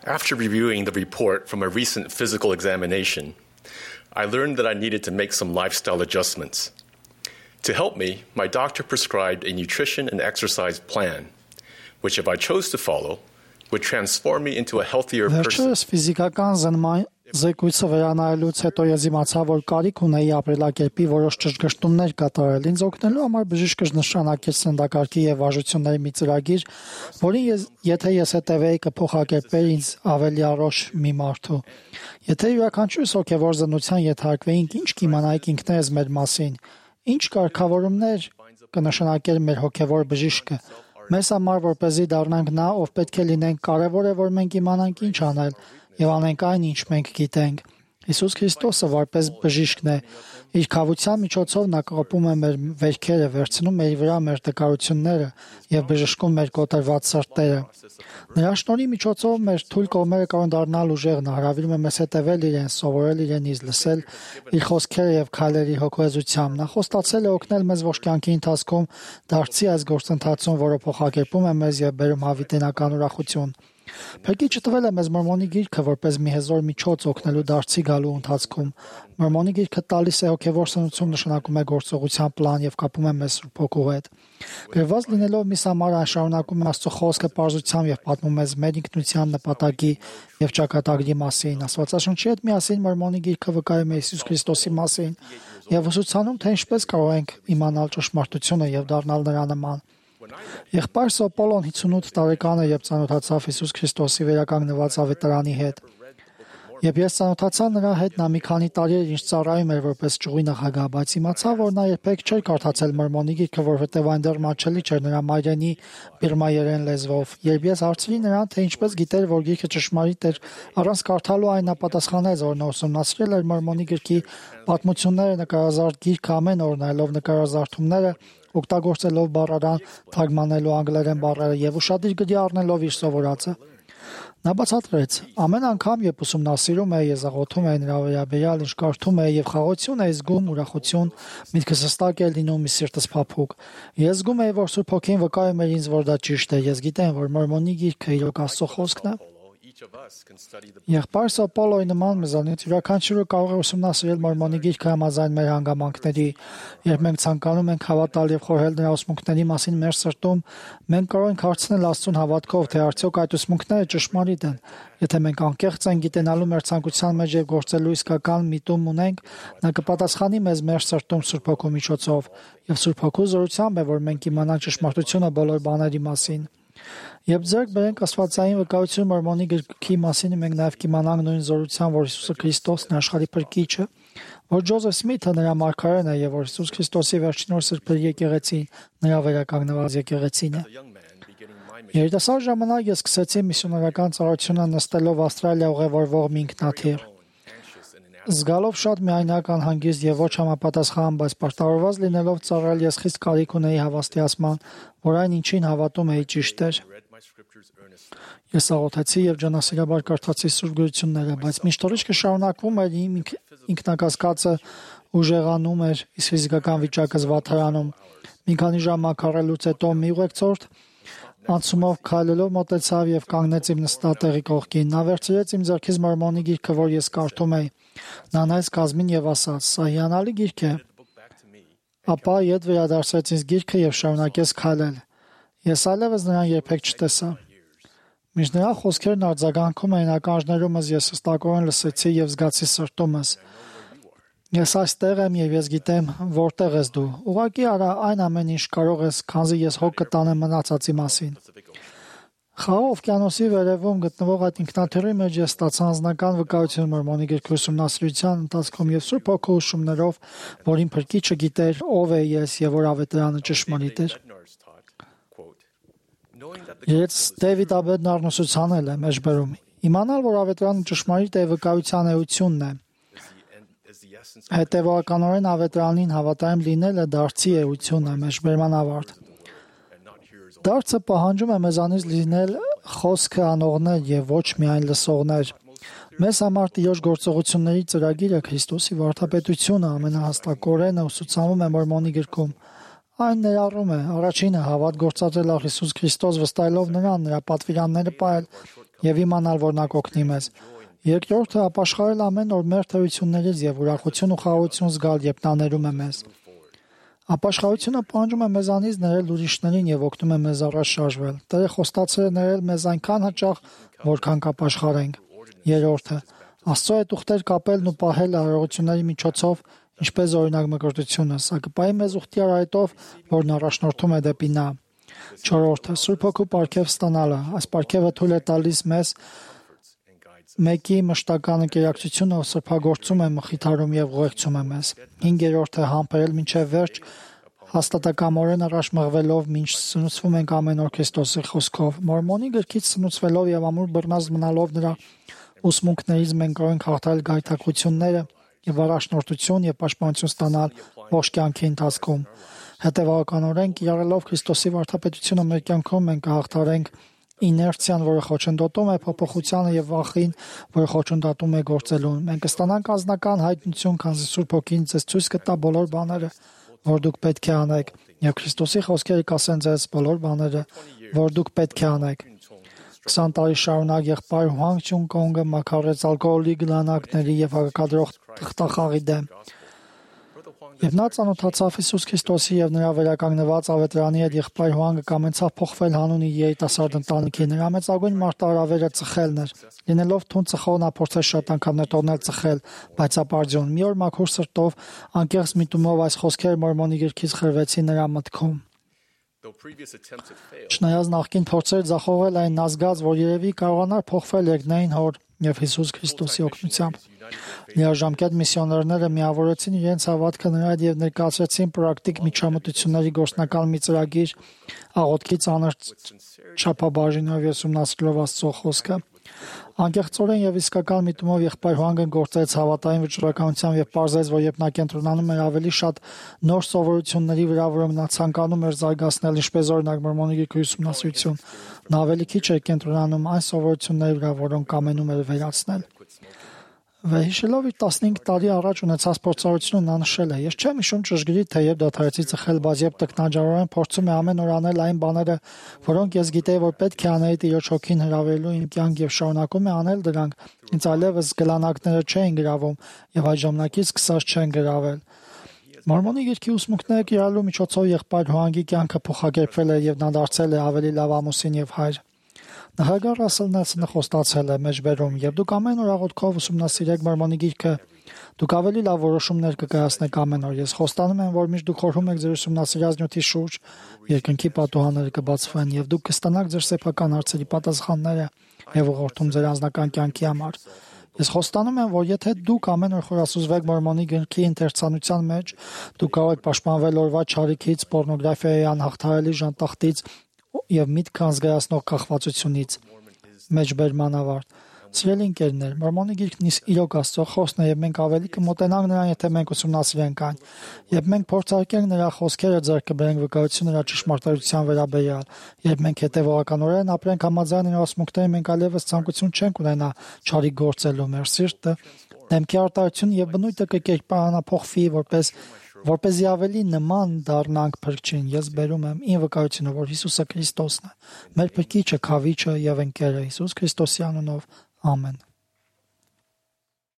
After reviewing the report from a recent physical examination, I learned that I needed to make some lifestyle adjustments. To help me, my doctor prescribed a nutrition and exercise plan, which if I chose to follow, would transform me into a healthier person. Զեկույցը վերանայելուց հետո ես իմացա, որ կարիք ունեի ապրելակերպի որոշ ճշգրտումներ կատարել։ Ինձ օգնելու համար բժիշկը նշանակեց սննդակարգի եւ վարժությունների մի ծրագիր, որին եթե ես հետևեի կփոխակերպեր ինձ ավելի առողջ մի մարդու։ Եթե յուրաքանչյուրս հոգեվոր զննության ենթարկվեինք, ինչ կիմանայինք ինքներս մեր մասին, ինչ կարգավորումներ կնշանակեր մեր հոգեվոր բժիշկը։ Մեզ համար որպեսզի դառնանք նա, ով պետք է լինենք, կարևոր է, որ մենք իմանանք ինչ անել եւ անենք այն, ինչ մենք գիտենք։ Հիսուս Քրիստոսը որպես բժիշկն է, իր քավության միջոցով նա կոպում է մեր վերքերը, վերցնում մեր վրա մեր տկարությունները եւ բժշկում մեր կոտրված սրտերը։ Նրա շնորհի միջոցով մեր թույլ կողմերը կարող դառնալ ուժեղ, նա հրավիրում է մեզ հետևել իրեն, սովորել իրենից, լսել իր խոսքերը եւ քայլերի հոգեզությամբ։ Նա խոստացել է օգնել մեզ ոչ կյանքի ընթացքում դարձի այս գործընթացում, որը փոխակերպում է մեզ եւ բերում հավիտենական ուրախություն։ Փրկիչը տվել է մեզ Մորմոնի գիրքը որպես մի հզոր միջոց օգնելու դարձի գալու ընթացքում։ Մորմոնի գիրքը տալիս է հոգևոր սնուցում, նշանակում է գործողության պլան եւ կապում է մեզ Սուրբ Հոգու հետ։ Գրված լինելով միս համար այն շարունակում է Աստծո խոսքը պարզությամբ եւ պատմում մեզ մեր ինքնության նպատակի եւ ճակատագրի մասին։ Աստվածաշնչի հետ միասին Մորմոնի գիրքը վկայում է Հիսուս Քրիստոսի մասին եւ ուսուցանում, թե ինչպես կարող ենք իմանալ ճշմարտությունը եւ դառնալ նրա նման։ Եղբայրս Պոլոն 58 տարեկան է, երբ ծանոթացավ Հիսուս Քրիստոսի վերականգնված ավետարանի հետ։ Երբ ես ծանոթացա նրա հետ, նա մի քանի տարի էր ինչ ծառայում էր որպես ճյուղի նախագահ, բայց իմացա, որ նա երբեք չէր կարդացել Մորմոնի գիրքը, որովհետև այն դեռ մատչելի չէր նրա մայրենի բիրմայերեն լեզվով։ Երբ ես հարցրի նրան, թե ինչպես գիտեր, որ գիրքը ճշմարիտ էր, առանց կարդալու այն նա պատասխանեց, որ նա ուսումնասիրել էր Մորմոնի գրքի պատմությունները, նկարազարդ գիրքը ամեն օր նայելով նկարազարդումները, օգտագործելով բառարան, թարգմանելու անգլերեն բառերը եւ ուշադիր գրի առնելով իր սովորածը։ Նա բացատրեց. ամեն անգամ, երբ ուսումնասիրում է, ես աղոթում եմ նրա վերաբերյալ, ինչ կարդում է եւ խաղաղություն է զգում, ուրախություն, միտքս հստակ է լինում, մի սիրտս փափուկ։ Ես զգում եմ, որ Սուրբ Հոգին վկայում է ինձ, որ դա ճիշտ է։ Ես գիտեմ, որ Մորմոնի գիրքը իրոք Աստծո խոսքն է։ Եղբայրս Պոլոյի նման մեզանից յուրաքանչյուրը կարող է ուսումնասիրել Մորմոնի գիրքը համաձայն մեր հանգամանքների։ Երբ մենք ցանկանում ենք հավատալ եւ խորհել նրա ուսմունքների մասին մեր սրտում, մենք կարող ենք հարցնել Աստծուն հավատքով, թե արդյոք այդ ուսմունքները ճշմարիտ են։ Եթե մենք անկեղծ ենք գիտենալու մեր ցանկության մեջ եւ գործելու իսկական միտում ունենք, նա կպատասխանի մեզ մեր սրտում Սուրբ Հոգու միջոցով, եւ Սուրբ Հոգու զորությամբ է, որ մենք իմանանք ճշմարտությունը բոլոր բաների մասին։ Երբ ձեռք բերենք աստվածային վկայություն Մորմոնի գրքի մասին, մենք նաև կիմանանք նույն զորությամբ, որ Հիսուս Քրիստոսն է աշխարհի փրկիչը, որ Ջոզեֆ Սմիթը նրա մարգարեն է եւ որ Հիսուս Քրիստոսի վերջին օր սրբերի եկեղեցին նրա վերականգնված եկեղեցին է։ Երիտասարդ ժամանակ ես սկսեցի միսիոներական ծառայությունը նստելով Ավստրալիա ուղևորվող մի ինքնաթիռ։ Զգալով շատ միայնակ անհանգիստ եւ ոչ համապատասխան, բայց պարտավորված լինելով ծառայել, ես խիստ կարիք ունեի հավաստիացման, որ այն ինչին հավատում էի ճիշտ էր։ Ես աղոթեցի եւ ջանասիրաբար կարդացի Սուրբ գրությունները, բայց միշտ օրիչքը շարունակվում էր, իմ ինքնակասկածը ուժեղանում էր, իսկ ֆիզիկական վիճակը զվարթարանում։ Մի քանի ժամ մաքարելուց հետո մի ուղեկցորդ անցումով քայլելով մոտեցավ եւ կանգնեց իմ նստատեղի կողքին։ Նա վերցրեց իմ ձեռքից Մորմոնի գիրքը, որ ես կարդում էի։ Նա նայեց կազմին եւ ասաց. «Սա հիանալի գիրք է»։ Ապա ետ վերադարձրեց ինձ գիրքը եւ շարունակեց քայլել։ Ես այլևս նրան երբեք չտեսա։ Մինչ նրա խոսքերն արձագանքում էին ականջներումս, ես հստակորեն լսեցի եւ զգացի սրտումս. Ես այստեղ եմ եւ ես գիտեմ, որտեղ ես դու։ Ուղղակի արա այն ամեն ինչ կարող ես, քանզի ես հոգ կտանեմ մնացածի մասին։ Խաղաղ օվկիանոսի վերևում գտնվող այդ ինքնաթիռի մեջ ես ստացա անձնական վկայություն Մորմոնի գրքի ուսումնասիրության ընթացքում եւ Սուրբ Հոգու ուսումներով, որ իմ փրկիչը գիտեր ով է ես եւ որ ավետարանը ճշմարիտ էր։ Ես Դեվիդ Աբեդնարն ուսուցանել եմ մեջբերում։ Իմանալ, որ ավետարանը ճշմարիտ է, վկայության էությունն է։ Հետևականորեն ավետարանին հավատարիմ լինելը դարձի էություն է, մեջբերման ավարտ։ Դարձը պահանջում է մեզանից լինել խոսքը անողներ եւ ոչ միայն լսողներ։ Մեզ համար Տիրոջ գործողությունների ծրագիրը Քրիստոսի վարդապետությունը ամենահաստակորենը ուսուցանում է Մորմոնի գրքում։ Այն ներառում է առաջինը հավատ գործադրել Հիսուս Քրիստոս վստահելով նրան, նրա պատվիրանները պահել, եւ իմանալ, որ նա կօգնի մեզ։ Երկրորդը ապաշխարել ամեն օր մեր թերություններից եւ ուրախություն ու խաղաղություն զգալ, երբ նա ներում է մեզ։ Ապաշխարությունը պահանջում է մեզանից ներել ուրիշներին եւ օգնում է մեզ առաջ շարժվել։ Տերը խոստացել է ներել մեզ այնքան հաճախ, որքան կապաշխարենք։ Երրորդը Աստծո հետ ուխտեր կապելն ու պահել արարողությունների միջոցով, ինչպես օրինակ մկրտությունը, սա կպահի մեզ ուխտի արայտով, որն առաջնորդում է դեպի նա։ Չորրորդը Սուրբ Հոգու պարգև ստանալը։ Այս պարգևը թույլ է տալիս մեզ մեկի մշտական ընկերակցությունը սրբագործում է, մխիթարում եւ ուղեկցում է մեզ։ Հինգերորդը համբերել մինչեւ վերջ, հաստատակամորեն առաջ մղվելով, մինչ սնուցվում ենք ամեն օր Քրիստոսի խոսքով։ Մորմոնի գրքից սնուցվելով եւ ամուր բռնած մնալով նրա ուսմունքներից մենք կարող ենք հաղթահարել գայթակղությունները եւ առաջնորդություն եւ պաշտպանություն ստանալ ողջ կյանքի ընթացքում։ Հետևականորեն կիրառելով Քրիստոսի վարդապետությունը մեր կյանքում մենք կհաղթահարենք իներցիան, որը խոչընդոտում է փոփոխությանը եւ վախին, որը խոչընդոտում է գործելուն։ Մենք կստանանք անձնական հայտնություն, քանզի Սուրբ Հոգին ձեզ ցույց կտա բոլոր բաները, որ դուք պետք է անեք, եւ Քրիստոսի խոսքերը կասեն ձեզ բոլոր բաները, որ դուք պետք է անեք։ 20 տարի շարունակ եղբայր Հուանգ Չուն Կոնգը մաքարեց ալկոհոլի գլանակների եւ հակադրող թղթախաղի դեմ։ Եվ նա ծանոթացավ Հիսուս Քրիստոսի եւ նրա վերականգնված ավետարանի հետ, եղբայր Հուանգը կամեցավ փոխվել հանունի երիտասարդ ընտանիքի։ Նրա մեծագույն մարտահրավերը ծխելն էր։ Լինելով թուն ծխող, նա փորձեց շատ անգամներ տոնել ծխել, բայց ապարդյուն։ Մի օր մաքուր սրտով, անկեղծ միտումով այս խոսքերը Մորմոնի գրքից խրվեցին նրա մտքում։ Չնայած նախկին փորձեր ձախողել այն, նա զգաց, որ երևի կարողանար փոխվել երկնային հոր եւ Հիսուս Քրիստոսի օգնությամբ։ Լիարժամկետ միսիոներները միավորեցին իրենց հավատքը նրա հետ եւ ներկայացրեցին պրակտիկ միջամտությունների գործնական մի ծրագիր, աղոթքի ծանր չափաբաժինով եւ ուսումնասիրելով Աստծո խոսքը։ Անկեղծորեն եւ իսկական միտումով եղբայր Հուանգը գործեց հավատային վճռականությամբ եւ պարզեց, որ երբ նա կենտրոնանում էր ավելի շատ նոր սովորությունների վրա, որոնք նա ցանկանում էր զարգացնել, ինչպես օրինակ Մորմոնի գրքի ուսումնասիրություն, նա ավելի քիչ էր կենտրոնանում այն սովորությունների վրա, որոնք կամենում էր վերացնել։ Վերհիշելով իր 15 տարի առաջ ունեցած փորձառությունը նա նշել է. «Ես չեմ հիշում ճշգրիտ, թե երբ դադարեցի ծխել, բայց երբ տքնաջարորեն փորձում եմ ամեն օր անել այն բաները, որոնք ես գիտեի, որ պետք է անեի Տիրոջ հոգին հրավիրելու իմ կյանք եւ շարունակում եմ անել դրանք, ինձ այլևս գլանակները չէին գրավում եւ այդ ժամանակից սկսած չեն գրավել»։ Մորմոնի գրքի ուսմունքները կիրառելու միջոցով եղբայր Հուանգի կյանքը փոխակերպվել է եւ նա դարձել է ավելի լավ ամուսին եւ հայր։ Նախագահ Ռասել Նելսոնը խոստացել է մեջբերում. «Երբ դուք ամեն օր աղոթքով ուսումնասիրեք Մորմոնի գիրքը, դուք ավելի լավ որոշումներ կկայացնեք ամեն օր։ Ես խոստանում եմ, որ միշտ դուք խորհում եք ձեր ուսումնասիրած նյութի շուրջ, երկնքի պատուհանները կբացվեն եւ դուք կստանաք ձեր սեփական հարցերի պատասխանները եւ ուղղորդում ձեր անձնական կյանքի համար։ Ես խոստանում եմ, որ եթե դուք ամեն օր խորասուզվեք Մորմոնի գրքի ընթերցանության մեջ, դուք կարող եք պաշտպանվել օրվա չարիքից, պոռնոգրաֆիայի անհաղթահարելի ժանտախտից եւ միտք անզգայացնող կախվածությունից»։ Մեջբերման ավարտ։ Սիրելի ընկերներ, Մորմոնի գիրքն իրոք Աստծո խոսքն է եւ մենք ավելի կմոտենանք նրան, եթե մենք ուսումնասիրենք այն։ Երբ մենք փորձարկենք նրա խոսքերը, ձեռք կբերենք վկայություն նրա ճշմարտության վերաբերյալ։ Երբ մենք հետևողականորեն ապրենք համաձայն նրա ուսմունքներին, մենք այլևս ցանկություն չենք ունենա չարիք գործելու։ Մեր սիրտը, դեմքի արտահայտությունը եւ բնույթը կկերպարանափոխվի, որպեսզի ավելի նման դառնանք Փրկչին։ Ես բերում եմ ին վկայությունը, որ Հիսուսը Քրիստոսն է, մեր Փրկիչը, Քավիչը եւ ընկերը, Հիսուս Քրիստոսի անունով։ Ամեն։